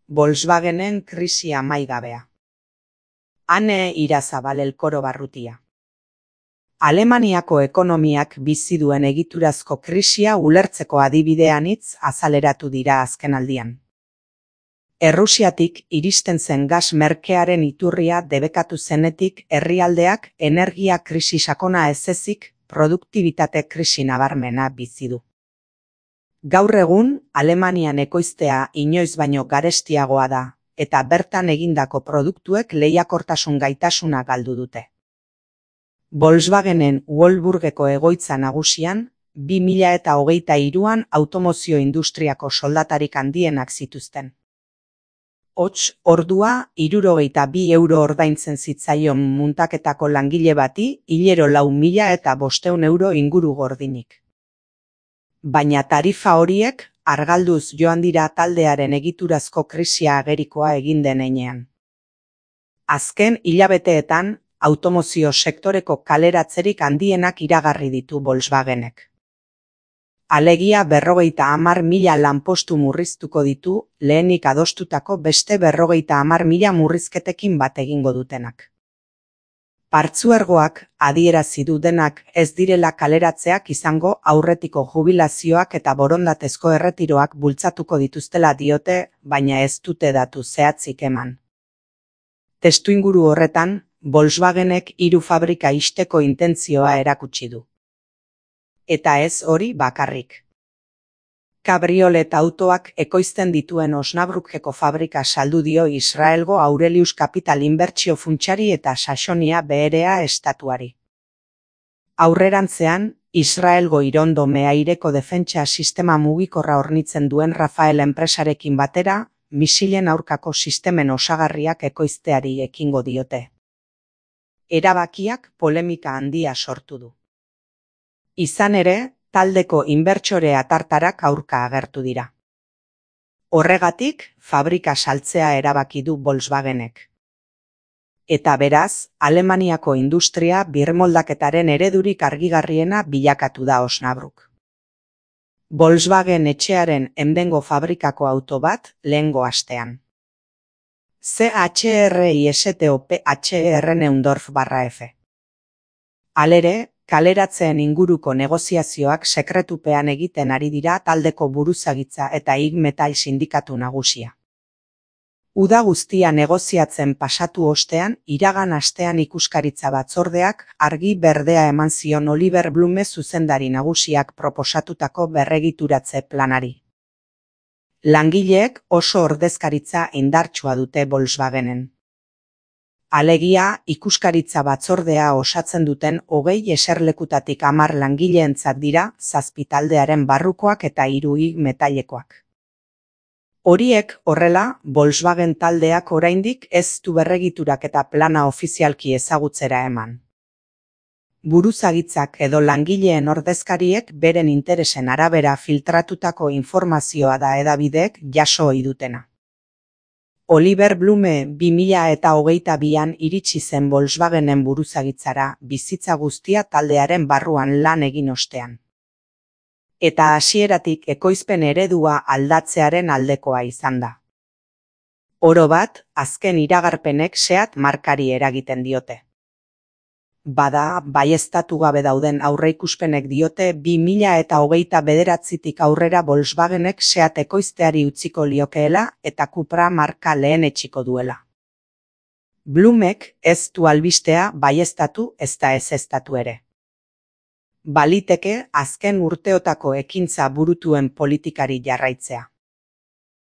Volkswagenen krisi amaigabea. Ane Irazabal Elkoro Barrutia. Alemaniako ekonomiak bizi duen egiturazko krisia ulertzeko adibideanitz azaleratu dira azkenaldian. Errusiatik iristen zen gas merkearen iturria debekatu zenetik herrialdeak energia krisi sakona ez ezik produktibitate krisi nabarmena bizi du. Gaur egun, Alemanian ekoiztea inoiz baino garestiagoa da, eta bertan egindako produktuek lehiakortasun gaitasuna galdu dute. Volkswagenen Wolfsburgeko egoitza nagusian, 2023an automozio industriako soldatarik handienak zituzten. Hots, ordua, 62 euro ordaintzen zitzaion muntaketako langile bati, hilero 4.500 euro inguru gordinik. Baina tarifa horiek argalduz joan dira taldearen egiturazko krisia agerikoa egin den heinean. Azken hilabeteetan, automozio sektoreko kaleratzerik handienak iragarri ditu Volkswagenek. Alegia 50.000 lanpostu murriztuko ditu lehenik adostutako beste 50.000 murrizketekin bat egingo dutenak. Partzuergoak adierazi du denak ez direla kaleratzeak izango aurretiko jubilazioak eta borondatezko erretiroak bultzatuko dituztela diote, baina ez dute datu zehatzik eman. Testuinguru horretan, Volkswagenek 3 fabrika ixteko intentzioa erakutsi du. Eta ez hori bakarrik. Kabriolet autoak ekoizten dituen Osnabrückeko fabrika saldu dio Israelgo Aurelius Capital inbertsio funtsari eta Saxonia BRA estatuari. Aurrerantzean, Israelgo Irondo meaireko defentsa sistema mugikorra hornitzen duen Rafael enpresarekin batera, misilen aurkako sistemen osagarriak ekoizteari ekingo diote. Erabakiak polemika handia sortu du. Izan ere, taldeko inbertsore atartarak aurka agertu dira. Horregatik, fabrika saltzea erabaki du Volkswagenek. Eta beraz, Alemaniako industria birmoldaketaren eredurik argigarriena bilakatu da Osnabrück. Volkswagen etxearen Emdengo fabrikako auto bat lehengo astean. CHRISTOPHR Neundorf/F. Halere, kaleratzeen inguruko negoziazioak sekretupean egiten ari dira taldeko buruzagitza eta IG Metall sindikatu nagusia. Uda guztia negoziatzen pasatu ostean, iragan astean ikuskaritza batzordeak argi berdea eman zion Oliver Blume zuzendari nagusiak proposatutako berregituratze planari. Langileek oso ordezkaritza indartsua dute Volkswagenen. Alegia, ikuskaritza batzordea osatzen duten 20 eserlekutatik 10 langileentzat dira 7 taldearen barrukoak eta 3 IG Metallekoak. Horiek horrela, Volkswagen taldeak oraindik ez du berregiturak eta plana ofizialki ezagutzera eman. Buruzagitzak edo langileen ordezkariek beren interesen arabera filtratutako informazioa da hedabideek jaso ohi dutena. Oliver Blume 2022an iritsi zen Volkswagenen buruzagitzara bizitza guztia taldearen barruan lan egin ostean. Eta hasieratik ekoizpen eredua aldatzearen aldekoa izan da. Orobat, azken iragarpenek Seat markari eragiten diote. Bada, baieztatu gabe dauden aurreikuspenek diote 2029tik aurrera Volkswagenek Seat ekoizteari utziko liokeela eta Cupra marka lehenetsiko duela. Blumek ez du albistea baieztatu ezta ezeztatu ere. Baliteke azken urteotako ekintza burutuen politikari jarraitzea.